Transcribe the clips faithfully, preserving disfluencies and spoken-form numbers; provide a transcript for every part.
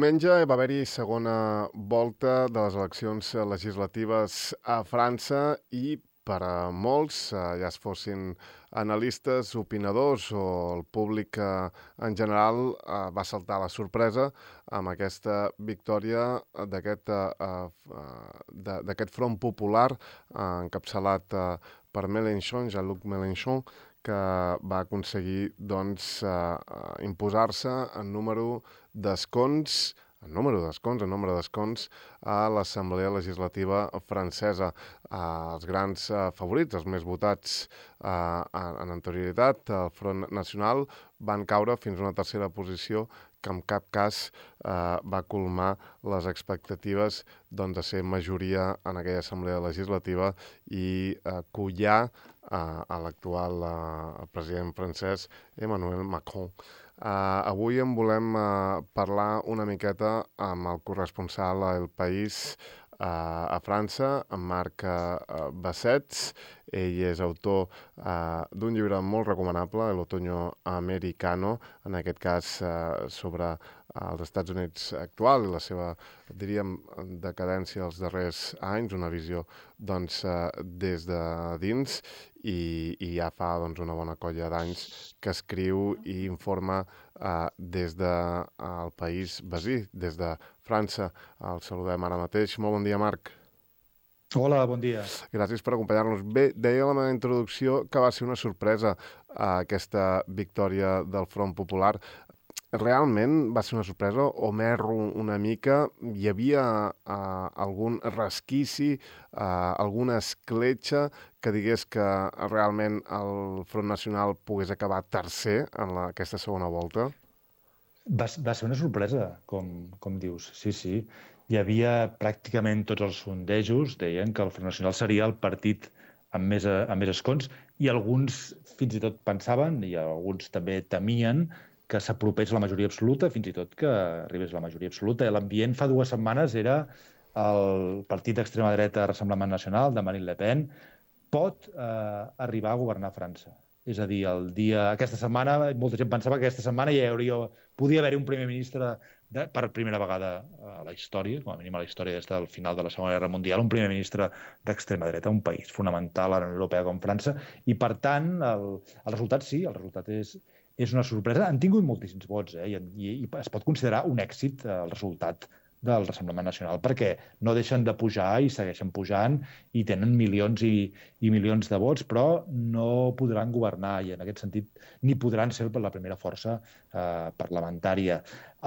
Diumenge va haver-hi segona volta de les eleccions legislatives a França i per a molts, ja es fossin analistes, opinadors o el públic en general, va saltar la sorpresa amb aquesta victòria d'aquest Front Popular encapçalat per Mélenchon, Jean-Luc Mélenchon, que va aconseguir doncs, imposar-se en número d'escons, en número d'escons, en nombre d'escons a l'Assemblea Legislativa francesa. Els grans favorits, els més votats en anterioritat, el Front Nacional, van caure fins a una tercera posició que en cap cas va colmar les expectatives de ser majoria en aquella Assemblea Legislativa i collar a l'actual president francès, Emmanuel Macron. Uh, avui en volem uh, parlar una miqueta amb el corresponsal a El País uh, a França, en Marc uh, Bassets. Ell és autor uh, d'un llibre molt recomanable, El Otoño Americano, en aquest cas uh, sobre els Estats Units actual i la seva, diríem, decadència dels darrers anys, una visió doncs, uh, des de dins, i, i ja fa doncs, una bona colla d'anys que escriu i informa uh, des del de, país vecí, des de França. El saludem ara mateix. Molt bon dia, Marc. Hola, bon dia. Gràcies per acompanyar-nos. Bé, deia la meva introducció que va ser una sorpresa uh, aquesta victòria del Front Popular. Realment va ser una sorpresa o m'erro una mica? Hi havia uh, algun resquici, uh, alguna escletxa que digués que realment el Front Nacional pogués acabar tercer en la, aquesta segona volta? Va, va ser una sorpresa, com, com dius. Sí, sí. Hi havia pràcticament tots els sondejos, deien que el Front Nacional seria el partit amb més, amb més escons, i alguns fins i tot pensaven, i alguns també temien, que s'apropés la majoria absoluta, fins i tot que arribés la majoria absoluta. L'ambient fa dues setmanes era el partit d'extrema dreta Rassemblement Nacional, de Marine Le Pen, pot eh, arribar a governar França. És a dir, el dia, aquesta setmana, molta gent pensava que aquesta setmana ja hauria, podia haver-hi un primer ministre de, per primera vegada a la història, com a mínim a la història des del final de la Segona Guerra Mundial, un primer ministre d'extrema dreta, un país fonamental a la Unió Europea com França, i per tant, el, el resultat sí, el resultat és, és una sorpresa. Han tingut moltíssims vots, eh? I, i es pot considerar un èxit el resultat del Rassemblement Nacional, perquè no deixen de pujar i segueixen pujant i tenen milions i, i milions de vots, però no podran governar i en aquest sentit ni podran ser la primera força eh, parlamentària.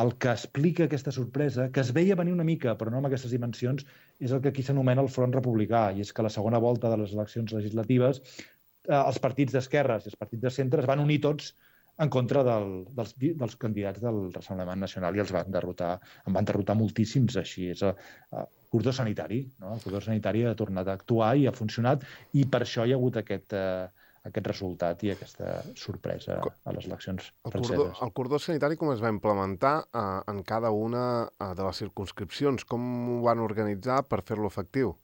El que explica aquesta sorpresa, que es veia venir una mica, però no amb aquestes dimensions, és el que aquí s'anomena el Front Republicà, i és que a la segona volta de les eleccions legislatives eh, els partits d'esquerres i els partits de centre es van unir tots en contra del, dels, dels candidats del Rassemblement Nacional i els van derrotar, en van derrotar moltíssims, així és el cordó sanitari, no? El cordó sanitari ha tornat a actuar i ha funcionat, i per això hi ha hagut aquest, eh, aquest resultat i aquesta sorpresa a les eleccions franceses. El cordó, el cordó sanitari com es va implementar eh, en cada una de les circumscripcions? Com ho van organitzar per fer-lo efectiu?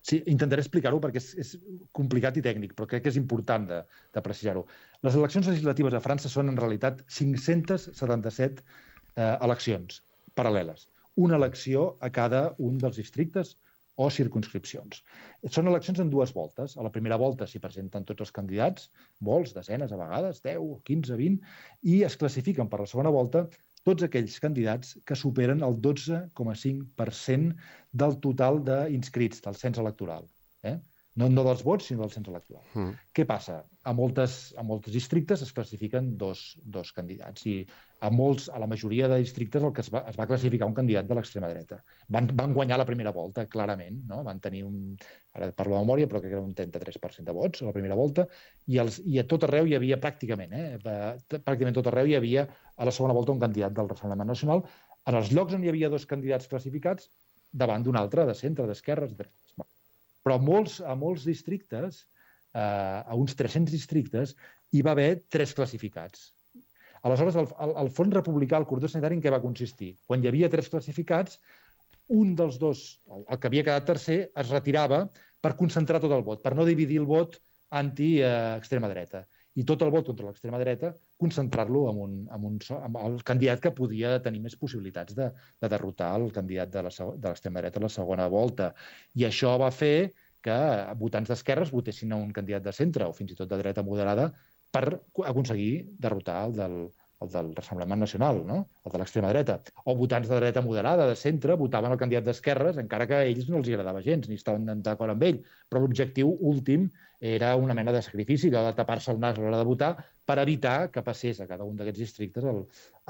Sí, intentaré explicar-ho perquè és, és complicat i tècnic, però crec que és important de, de precisar-ho. Les eleccions legislatives a França són, en realitat, cinc-cents setanta-set eh, eleccions paral·leles. Una elecció a cada un dels districtes o circumscripcions. Són eleccions en dues voltes. A la primera volta s'hi presenten tots els candidats, molts, desenes a vegades, deu, quinze, vint, i es classifiquen per la segona volta tots aquells candidats que superen el dotze coma cinc per cent del total d'inscrits del cens electoral. Eh? No, no dels vots, sinó del cens electoral. Mm. Què passa? A moltes, a molts districtes es classifiquen dos, dos candidats i a, molts, a la majoria de districtes el que es va, es va classificar un candidat de l'extrema dreta. Van, van guanyar la primera volta, clarament, no? Van tenir un, ara parlo de memòria, però crec que era un trenta-tres per cent de vots a la primera volta, i, els, i a tot arreu hi havia pràcticament, eh? pràcticament tot arreu hi havia a la segona volta un candidat del Rassemblement Nacional, en els llocs on hi havia dos candidats classificats davant d'un altre, de centre, d'esquerres, de... però a molts, a molts districtes, eh, a uns tres-cents districtes, hi va haver tres classificats. Aleshores, el, el, el Front Republicà, el cordó sanitari, en què va consistir? Quan hi havia tres classificats, un dels dos, el, el que havia quedat tercer, es retirava per concentrar tot el vot, per no dividir el vot anti-extrema dreta. i tot el vot contra l'extrema dreta concentrar-lo en, un, en, un, en el candidat que podia tenir més possibilitats de, de derrotar el candidat de l'extrema dreta a la segona volta. I això va fer que votants d'esquerres votessin a un candidat de centre o fins i tot de dreta moderada per aconseguir derrotar el del, el del Rassemblement Nacional, no? El de l'extrema dreta. O votants de dreta moderada, de centre, votaven el candidat d'esquerres, encara que a ells no els agradava gens, ni estaven d'acord amb ell. Però l'objectiu últim era una mena de sacrifici, de tapar-se el nas a l'hora de votar per evitar que passés a cada un d'aquests districtes el,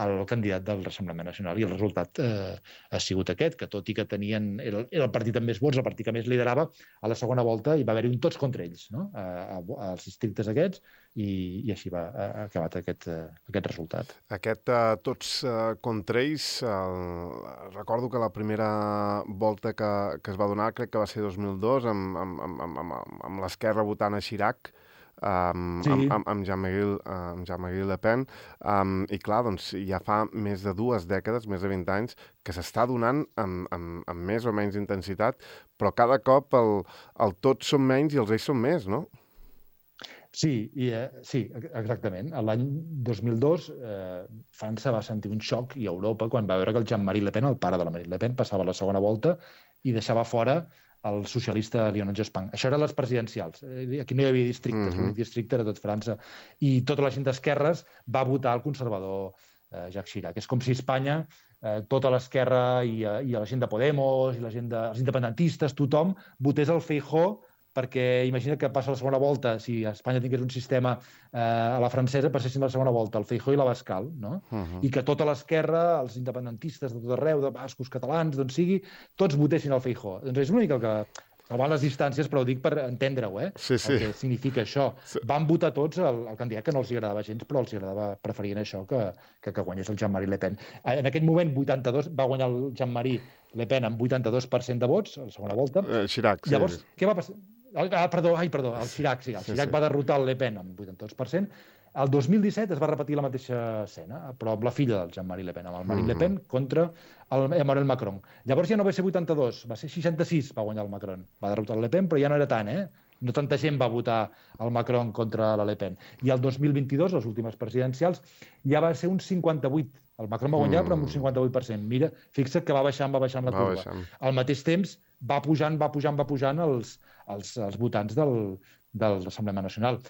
el candidat del Rassemblement Nacional. I el resultat eh, ha sigut aquest, que tot i que tenien, era, era el partit amb més vots, el partit que més liderava, a la segona volta hi va haver-hi un tots contra ells, no? a, a, als districtes aquests, i, i així va ha acabat aquest, uh, aquest resultat. Aquest uh, tots uh, contra ells, uh, recordo que la primera volta que, que es va donar, crec que va ser dos mil dos, amb, amb, amb, amb, amb, amb l'esquerra votant a Chirac, Um, sí. amb, amb, amb Jean-Marie uh, Jean Le Pen, um, i clar, doncs ja fa més de dues dècades, més de vint anys, que s'està donant amb, amb, amb més o menys intensitat, però cada cop el, el tots són menys i els ells són més, no? Sí, i, eh, sí, exactament. L'any dos mil dos eh, França va sentir un xoc, i Europa, quan va veure que el Jean-Marie Le Pen, el pare de la Marine Le Pen, passava a la segona volta i deixava fora el socialista Lionel Jospin. Això eren les presidencials. Aquí no hi havia districtes, l'únic districte era tot França. I tota la gent d'esquerres va votar el conservador eh, Jacques Chirac. És com si Espanya, eh, tota l'esquerra i, i la gent de Podemos, i la gent de, els independentistes, tothom votés el Feijóo, perquè imagina que passa la segona volta, si Espanya tingués un sistema eh, a la francesa, passessin a la segona volta el Feijóo i l'Abascal, no? Uh -huh. I que tota l'esquerra, els independentistes de tot arreu, de bascos, catalans, d'on sigui, tots votessin el Feijóo. Doncs és una mica el que... salvant les distàncies, però ho dic per entendre-ho, eh? Sí, sí. El que significa això. Sí. Van votar tots el, el candidat que no els agradava gens, però els agradava, preferien això que, que, que guanyés el Jean-Marie Le Pen. En aquell moment, vuitanta-dos, va guanyar el Jean-Marie Le Pen amb vuitanta-dos per cent de vots, a la segona volta. Eh, Chirac, sí. Llavors, què va passar? Ah, perdó, ai, perdó, el Chirac, sí, el Chirac sí, sí. va derrotar el Le Pen amb vuitanta-dos per cent. El dos mil disset es va repetir la mateixa escena, però amb la filla del Jean-Marie Le Pen, amb el Marine mm-hmm. Le Pen contra el Emmanuel Macron. Llavors ja no va ser vuitanta-dos, va ser seixanta-sis, va guanyar el Macron. Va derrotar el Le Pen, però ja no era tant, eh? No tanta gent va votar el Macron contra la Le Pen. I el dos mil vint-i-dos, les últimes presidencials, ja va ser un cinquanta-vuit. El Macron va guanyar, mm. però amb un cinquanta-vuit per cent. Mira, fixa't que va baixant, va baixant la va curva. Baixant. Al mateix temps, va pujant, va pujant, va pujant els, els, els votants del, del Rassemblement Nacional.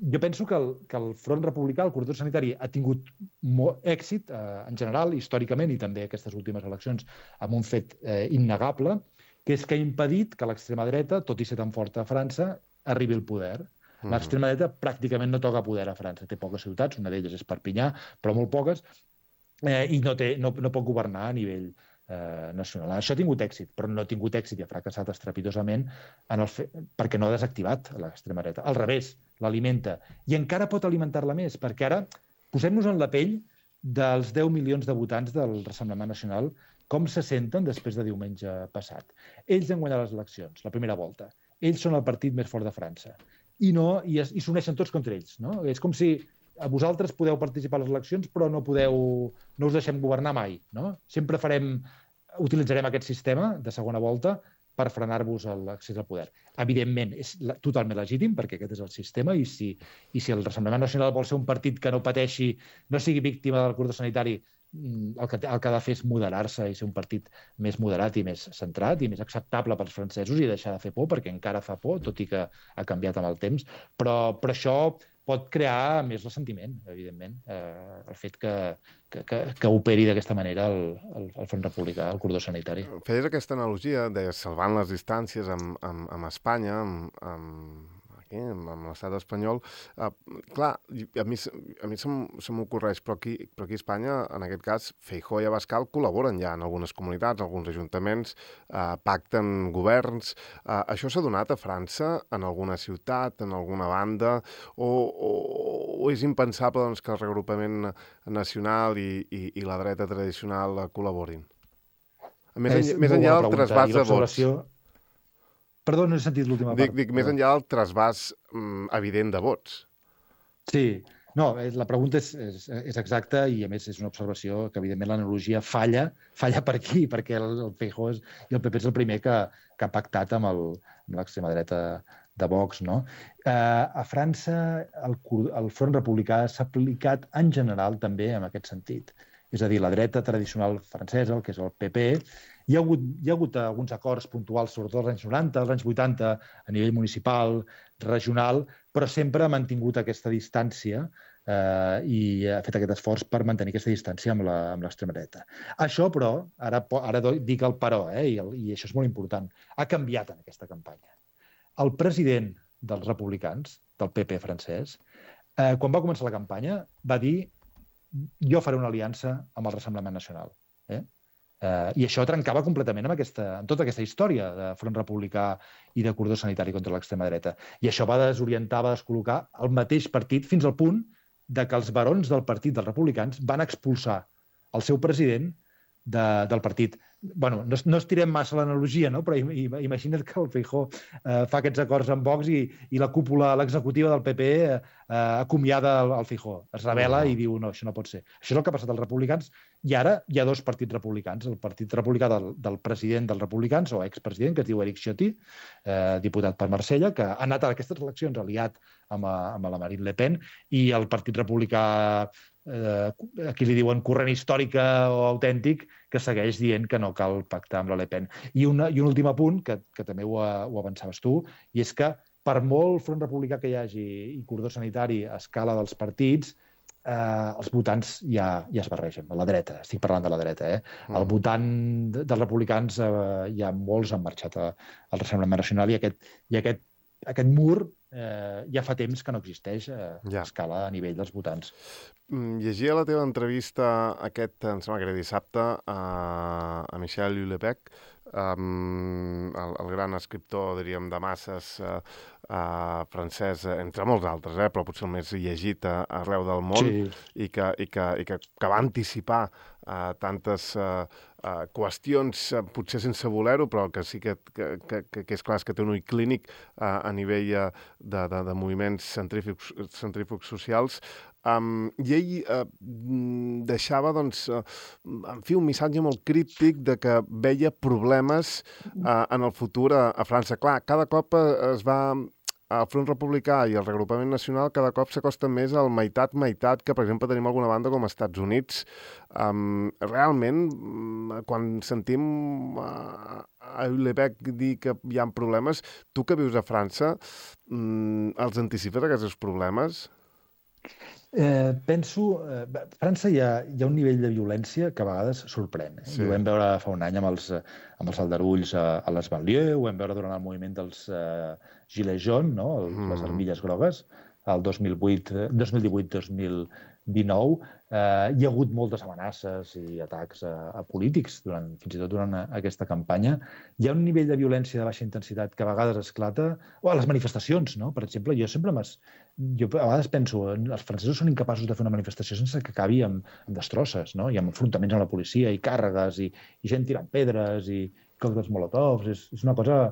Jo penso que el, que el Front Republicà, el corredor sanitari, ha tingut molt èxit, eh, en general, històricament, i també aquestes últimes eleccions, amb un fet eh, innegable, que és que ha impedit que l'extrema dreta, tot i ser tan forta a França, arribi al poder. Mm. L'extrema dreta pràcticament no toca poder a França. Té poques ciutats, una d'elles és Perpinyà, però molt poques, eh, i no, té, no, no pot governar a nivell eh, nacional. Això ha tingut èxit, però no ha tingut èxit i ha fracassat estrepitosament en el fe... perquè no ha desactivat l'extrema dreta. Al revés, l'alimenta. I encara pot alimentar-la més, perquè ara posem-nos en la pell dels deu milions de votants del Rassemblement Nacional, com se senten després de diumenge passat. Ells han guanyat les eleccions, la primera volta. Ells són el partit més fort de França. I no i, i s'uneixen tots contra ells. No? És com si a vosaltres podeu participar a les eleccions, però no podeu, no us deixem governar mai. No? Sempre farem, utilitzarem aquest sistema de segona volta per frenar-vos l'accés al poder. Evidentment, és totalment legítim, perquè aquest és el sistema, i si, i si el Rassemblement Nacional vol ser un partit que no pateixi, no sigui víctima del cordó sanitari, el que, el que ha de fer és moderar-se i ser un partit més moderat i més centrat i més acceptable pels francesos i deixar de fer por, perquè encara fa por, tot i que ha canviat amb el temps. Però, però això pot crear més ressentiment, evidentment, eh, el fet que, que, que, que operi d'aquesta manera el, el, el Front Republicà, el cordó sanitari. Feies aquesta analogia de salvant les distàncies amb, amb, amb Espanya, amb, amb, aquí, amb l'estat espanyol. Uh, clar, a mi, a mi se m'ocorreix, però aquí, però aquí a Espanya, en aquest cas, Feijóo i Abascal col·laboren ja en algunes comunitats, alguns ajuntaments, uh, pacten governs. Uh, això s'ha donat a França, en alguna ciutat, en alguna banda, o, o, o és impensable doncs, que el reagrupament nacional i, i, i la dreta tradicional col·laborin? Més, en, més enllà del trasbàs de vots. Perdó, no he sentit l'última part. Dic, dic més enllà del trasbàs mm, evident de vots. Sí. No, la pregunta és, és, és exacta i, a més, és una observació que, evidentment, l'analogia falla, falla per aquí, perquè el, el Feijóo és, i el P P és el primer que, que ha pactat amb l'extrema dreta de Vox, no? Eh, a França el, el Front Republicà s'ha aplicat en general també en aquest sentit. És a dir, la dreta tradicional francesa, el que és el P P, hi ha hagut, hi ha hagut alguns acords puntuals, sobretot als anys noranta, als anys vuitanta, a nivell municipal, regional, però sempre ha mantingut aquesta distància eh, i ha fet aquest esforç per mantenir aquesta distància amb l'extrema dreta. Això, però, ara, ara dic el però, eh, i, el, i això és molt important, ha canviat en aquesta campanya. El president dels republicans, del P P francès, eh, quan va començar la campanya, va dir jo faré una aliança amb el Rassemblement Nacional. Eh? Eh, I això trencava completament amb, aquesta, amb tota aquesta història de Front Republicà i de cordó sanitari contra l'extrema dreta. I això va desorientar, va descol·locar el mateix partit fins al punt de que els barons del partit dels republicans van expulsar el seu president de, del partit. Bueno, no, no estirem massa l'analogia, no? Però imagina't que el Feijóo eh, fa aquests acords amb Vox i, i la cúpula, l'executiva del P P eh, acomiada el, el Feijóo. Es rebel·la i diu, no, això no pot ser. Això és el que ha passat als republicans i ara hi ha dos partits republicans. El partit republicà del, del president dels republicans, o expresident, que es diu Éric Ciotti, eh, diputat per Marsella, que ha anat a aquestes eleccions aliat amb, amb la Marine Le Pen, i el partit republicà Eh, aquí li diuen corrent històrica o autèntic, que segueix dient que no cal pactar amb la Le Pen. I, una, i un últim apunt, que, que també ho, ho avançaves tu, i és que per molt front republicà que hi hagi i cordó sanitari a escala dels partits, eh, els votants ja, ja es barregen, a la dreta, estic parlant de la dreta. Eh? Mm. El votant de, dels republicans, eh, ja molts han marxat a, al Rassemblement Nacional i aquest, i aquest, aquest mur eh, ja fa temps que no existeix eh, ja. a escala a nivell dels votants. Llegia la teva entrevista aquest, em sembla que era dissabte, a, a Michel Houellebecq, um, el, el gran escriptor, diríem, de masses uh, uh, francès, entre molts altres, eh, però potser el més llegit uh, arreu del món, sí. i, que, i, que, i que, que va anticipar uh, tantes uh, uh, qüestions, uh, potser sense voler-ho, però que sí que, que, que, que és clar és que té un ull clínic uh, a nivell uh, de, de, de moviments centrífugs, centrífugs socials. Um, I ell uh, deixava, doncs, uh, en fi, un missatge molt críptic de que veia problemes uh, en el futur a, a França. Clar, cada cop uh, es va... El Front Republicà i el Reagrupament Nacional cada cop s'acosten més al meitat-meitat que, per exemple, tenim alguna banda com als Estats Units. Um, realment, quan sentim uh, a Houellebecq dir que hi ha problemes, tu que vius a França, um, els anticipes aquests problemes? Eh, penso... Eh, a França hi ha, hi ha un nivell de violència que a vegades sorprèn. Eh? Sí. Ho vam veure fa un any amb els, amb els aldarulls a, a les banlieues, ho vam veure durant el moviment dels eh, Gilets jaunes, no? El, mm. les armilles grogues, el dos mil vuit, dos mil divuit dos mil dinou. Eh, hi ha hagut moltes amenaces i atacs a, a polítics, durant, fins i tot durant aquesta campanya. Hi ha un nivell de violència de baixa intensitat que a vegades esclata, o a les manifestacions, no? Per exemple, jo sempre m'has... Jo a vegades penso, els francesos són incapaços de fer una manifestació sense que acabi amb, amb destrosses, no? I amb enfrontaments amb la policia, i càrregues, i, i gent tirant pedres, i còctels molotovs. És, és una cosa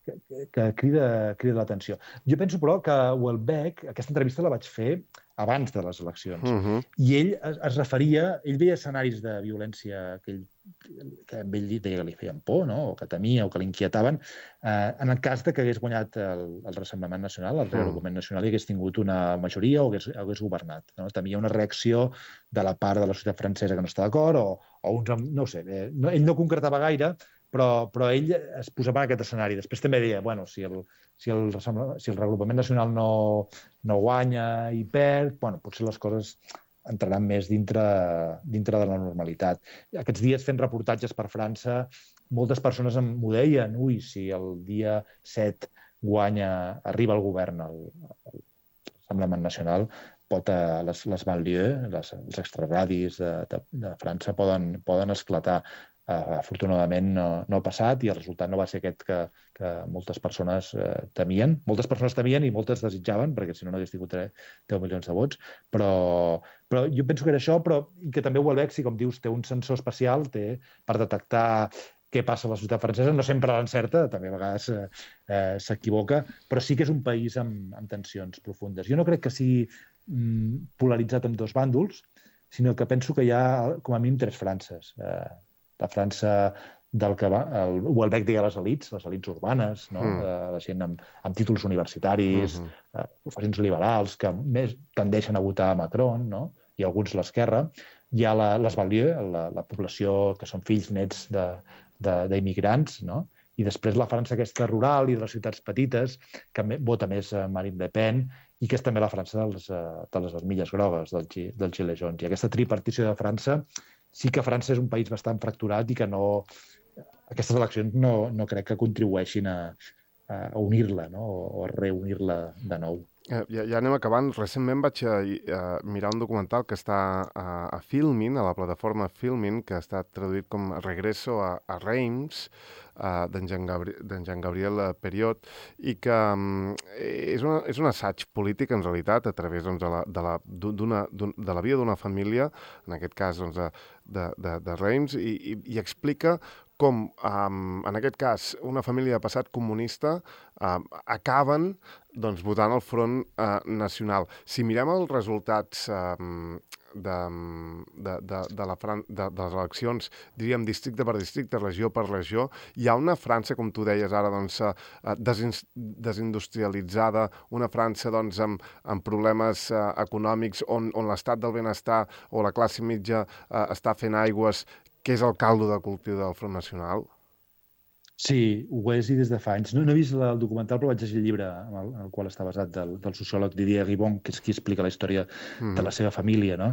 que, que crida, crida l'atenció. Jo penso, però, que Houellebecq, aquesta entrevista la vaig fer abans de les eleccions, uh-huh. i ell es, es referia, ell veia escenaris de violència que ell, que ell deia que li feien por, no? O que temia, o que l'inquietaven, eh, en el cas de que hagués guanyat el, el Rassemblement Nacional, el Reagrupament Nacional, i hagués tingut una majoria o hagués, hagués governat. No? Temia una reacció de la part de la societat francesa que no està d'acord, o, o uns... No ho sé, eh, no, ell no concretava gaire, però, però ell es posava en aquest escenari. Després també deia, bueno, si el, si el, si el Reagrupament Nacional no, no guanya i perd, bueno, potser les coses entraran més dintre, dintre de la normalitat. Aquests dies fent reportatges per França, moltes persones m'ho deien, ui, si el dia set guanya, arriba al govern el, el Rassemblement Nacional, pot, eh, les, les banlieues, les, els extraradis de, de, de França poden, poden esclatar. Uh, afortunadament no, no ha passat i el resultat no va ser aquest que, que moltes persones uh, temien. Moltes persones temien i moltes desitjaven, perquè si no no hagués tingut deu milions de vots, però, però jo penso que era això, però i que també Houellebecq, si com dius, té un sensor especial té per detectar què passa a la societat francesa. No sempre l'encerta, també a vegades eh, eh, s'equivoca, però sí que és un país amb, amb tensions profundes. Jo no crec que sigui mm, polaritzat en dos bàndols, sinó que penso que hi ha com a mínim tres Frances. Eh, la França del que va, el Houellebecq deia les elites, les elites urbanes, no? Mm. Eh, la gent amb, amb títols universitaris, mm -hmm. eh, professions liberals, que més tendeixen a votar a Macron, no? I alguns l'esquerra. Hi ha la, les Banlieues, la, la població que són fills nets d'immigrants, no? I després la França aquesta rural i de les ciutats petites, que vota més Marine Le Pen, i que és també la França dels, de les armilles grogues, del, del Gilets jaunes. I aquesta tripartició de França, sí que França és un país bastant fracturat i que no... Aquestes eleccions no, no crec que contribueixin a, a unir-la, no? O a reunir-la de nou. Ja, ja anem acabant. Recentment vaig a, a mirar un documental que està a, a Filmin, a la plataforma Filmin, que ha estat traduït com Regreso a, a Reims, uh, d'en Jean, Gabri Jean Gabriel Periot, i que um, és, una, és un assaig polític, en realitat, a través doncs, de, la, de, la, d'una, de la vida d'una família, en aquest cas doncs, de, de, de, de Reims, i, i, i explica com, um, en aquest cas, una família de passat comunista um, acaben doncs, votant al Front uh, Nacional. Si mirem els resultats um, de, de, de, de, la Fran de, de les eleccions, diríem districte per districte, regió per regió, hi ha una França, com tu deies ara, doncs, uh, desin desindustrialitzada, una França doncs, amb, amb problemes uh, econòmics on, on l'estat del benestar o la classe mitja uh, està fent aigües, que és el caldo de cultiu del Front Nacional? Sí, ho és i des de fa anys. No, no he vist el documental, però vaig llegir el llibre en el, en el qual està basat del, del sociòleg Didier Ribon, que és qui explica la història mm. de la seva família, no?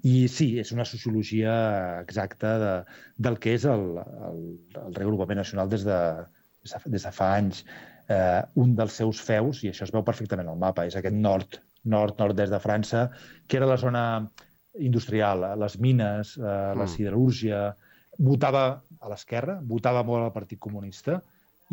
I sí, és una sociologia exacta de, del que és el, el, el reagrupament nacional des de, des de fa anys. Eh, un dels seus feus, i això es veu perfectament al mapa, és aquest nord, nord-nord-est de França, que era la zona industrial, les mines, eh, la siderúrgia. Votava a l'esquerra, votava molt al Partit Comunista,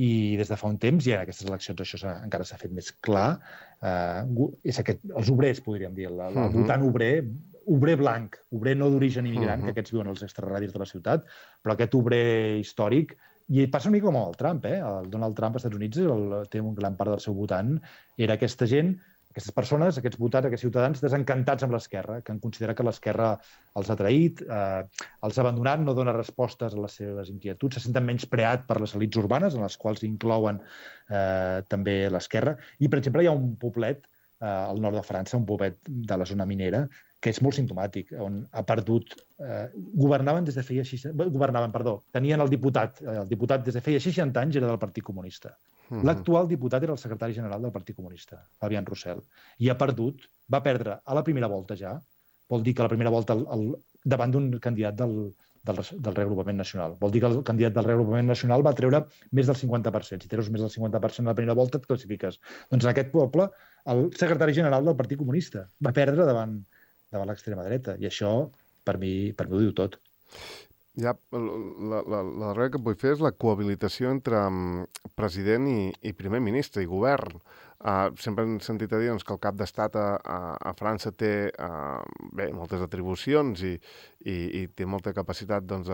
i des de fa un temps, i en aquestes eleccions això encara s'ha fet més clar, eh, és aquest, els obrers, podríem dir, el, el uh -huh. votant obrer, obrer blanc, obrer no d'origen immigrant, uh -huh. que aquests viuen als extrarradis de la ciutat, però aquest obrer històric. I passa una mica com el Trump, eh? El Donald Trump als Estats Units el, té un gran part del seu votant, era aquesta gent, aquestes persones, aquests votants, aquests ciutadans desencantats amb l'esquerra, que han considerat que l'esquerra els ha traït, eh, els ha abandonat, no dona respostes a les seves inquietuds, se senten menyspreat per les elites urbanes, en les quals inclouen eh, també l'esquerra. I, per exemple, hi ha un poblet eh, al nord de França, un poblet de la zona minera, que és molt simptomàtic, on ha perdut... Eh, governaven des de feia seixanta... Governaven, perdó. Tenien el diputat. El diputat des de feia seixanta anys era del Partit Comunista. Uh-huh. L'actual diputat era el secretari general del Partit Comunista, Fabien Roussel. I ha perdut, va perdre a la primera volta ja, vol dir que a la primera volta el, el, davant d'un candidat del, del, del reagrupament nacional. Vol dir que el candidat del reagrupament nacional va treure més del cinquanta per cent. Si treus més del cinquanta per cent a la primera volta et classifiques. Doncs en aquest poble, el secretari general del Partit Comunista va perdre davant davant l'extrema dreta, i això, per mi, per mi ho diu tot. Ja, la, la, la darrera que vull fer és la cohabilitació entre um, president i, i primer ministre i govern. Uh, sempre hem sentit a dir doncs, que el cap d'estat a, a, a França té uh, bé, moltes atribucions i, i, i té molta capacitat doncs,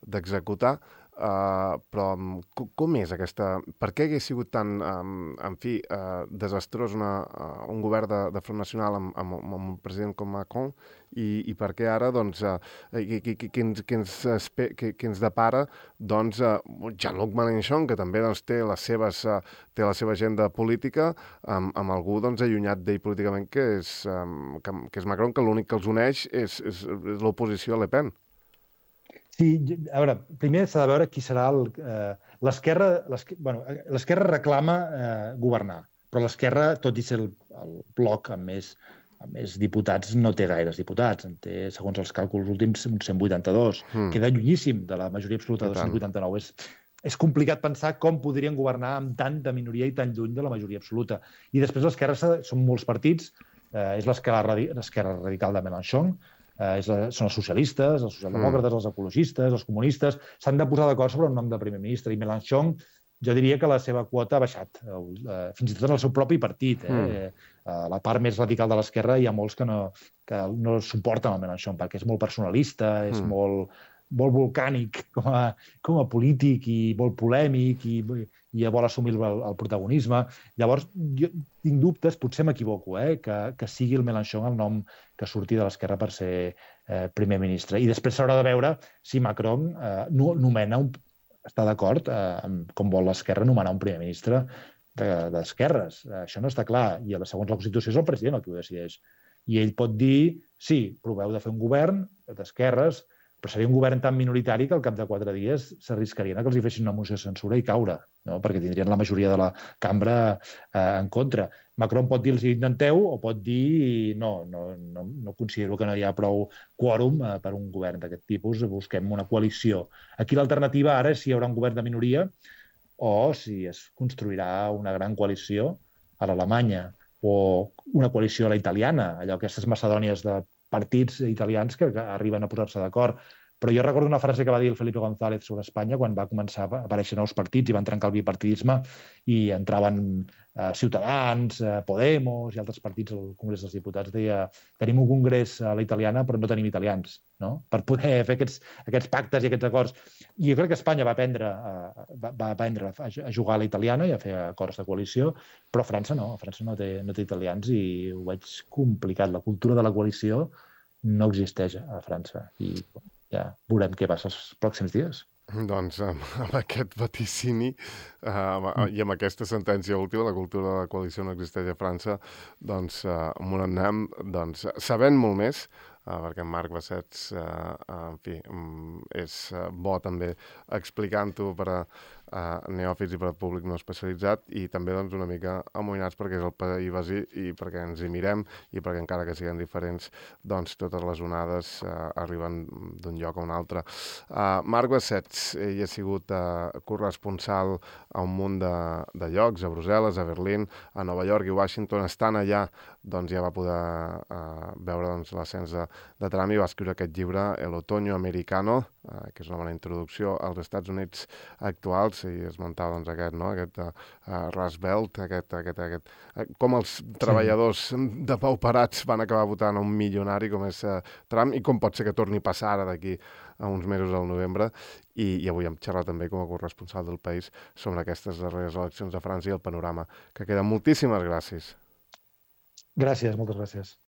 d'executar, uh, però com, com és aquesta... Per què hagués sigut tan, um, en fi, uh, desastrós una, uh, un govern de, de Front Nacional amb, amb, amb un president com Macron i, i per què ara doncs, uh, que, que, que, que, ens, que, ens, que, que ens depara doncs, uh, Jean-Luc Mélenchon, que també doncs, té, les seves, uh, té la seva agenda política, amb, amb algú doncs, allunyat d'ell políticament, que és, um, que, que és Macron, que l'únic que els uneix és, és, és l'oposició a Le Pen. Sí, a veure, primer s'ha de veure qui serà l'esquerra. Bueno, l'esquerra reclama eh, governar, però l'esquerra, tot i ser el, el bloc amb més, amb més diputats, no té gaires diputats. En té, segons els càlculs últims, uns cent vuitanta-dos. Mm. Queda llunyíssim de la majoria absoluta de dos cents vuitanta-nou. És, és complicat pensar com podrien governar amb tanta minoria i tan lluny de la majoria absoluta. I després l'esquerra són molts partits, eh, és l'esquerra radical de Mélenchon, eh, és la, són els socialistes, els socialdemòcrates, mm. els ecologistes, els comunistes, s'han de posar d'acord sobre un nom de primer ministre, i Mélenchon, jo diria que la seva quota ha baixat, eh, fins i tot en el seu propi partit. Eh? Mm. A la part més radical de l'esquerra hi ha molts que no, que no suporten el Mélenchon, perquè és molt personalista, és mm. molt... molt volcànic com a, com a polític i molt polèmic i, i vol assumir el, el protagonisme. Llavors, jo tinc dubtes, potser m'equivoco, eh, que, que sigui el Mélenchon el nom que surti de l'esquerra per ser eh, primer ministre. I després s'haurà de veure si Macron eh, no, nomena un, està d'acord eh, amb com vol l'esquerra nomenar un primer ministre d'esquerres. De, Això no està clar. I segons la Constitució és el president el que ho decideix. I ell pot dir, sí, proveu de fer un govern d'esquerres, però seria un govern tan minoritari que al cap de quatre dies s'arriscarien a que els hi fessin una moció de censura i caure, no? Perquè tindrien la majoria de la cambra eh, en contra. Macron pot dir-los intenteu o pot dir no, no, no, no considero que no hi ha prou quòrum eh, per un govern d'aquest tipus, busquem una coalició. Aquí l'alternativa ara és si hi haurà un govern de minoria o si es construirà una gran coalició a l'Alemanya o una coalició a la italiana, allò aquestes macedònies de partits italians que, que arriben a posar-se d'acord. Però jo recordo una frase que va dir el Felipe González sobre Espanya quan va començar a aparèixer nous partits i van trencar el bipartidisme i entraven eh, Ciutadans, eh, Podemos i altres partits al Congrés dels Diputats. Deia, tenim un congrés a la italiana però no tenim italians, no? Per poder fer aquests, aquests pactes i aquests acords. I jo crec que Espanya va aprendre, eh, va, va aprendre a jugar a la italiana i a fer acords de coalició, però França no, França no té, no té italians i ho veig complicat. La cultura de la coalició no existeix a França i ja veurem què passa els pròxims dies. Doncs amb, amb aquest vaticini uh, i amb aquesta sentència última, la cultura de la coalició no existeix a França, doncs uh, amb un anem, doncs, sabent molt més, uh, perquè en Marc Bassets, uh, uh, en fi, um, és uh, bo també explicant-ho per a uh, neòfits i per al públic no especialitzat i també doncs, una mica amoïnats perquè és el país vecí i perquè ens hi mirem i perquè encara que siguin diferents, doncs totes les onades uh, arriben d'un lloc a un altre. Uh, Marc Bassets, ell ha sigut uh, corresponsal a un munt de, de llocs, a Brussel·les, a Berlín, a Nova York i Washington. Estant allà, doncs ja va poder uh, veure doncs, l'ascens de, de Trump i va escriure aquest llibre, El otoño americano, uh, que és una bona introducció als Estats Units actuals, i esmentava doncs, aquest, no? aquest uh, Rust Belt, aquest, aquest, aquest, uh, com els treballadors sí. depauperats van acabar votant a un milionari com és uh, Trump i com pot ser que torni a passar ara d'aquí a uns mesos al novembre, i, i avui hem xerrat també com a corresponsal del país sobre aquestes darreres eleccions de França i el panorama que queda. Moltíssimes gràcies. Gràcies, moltes gràcies.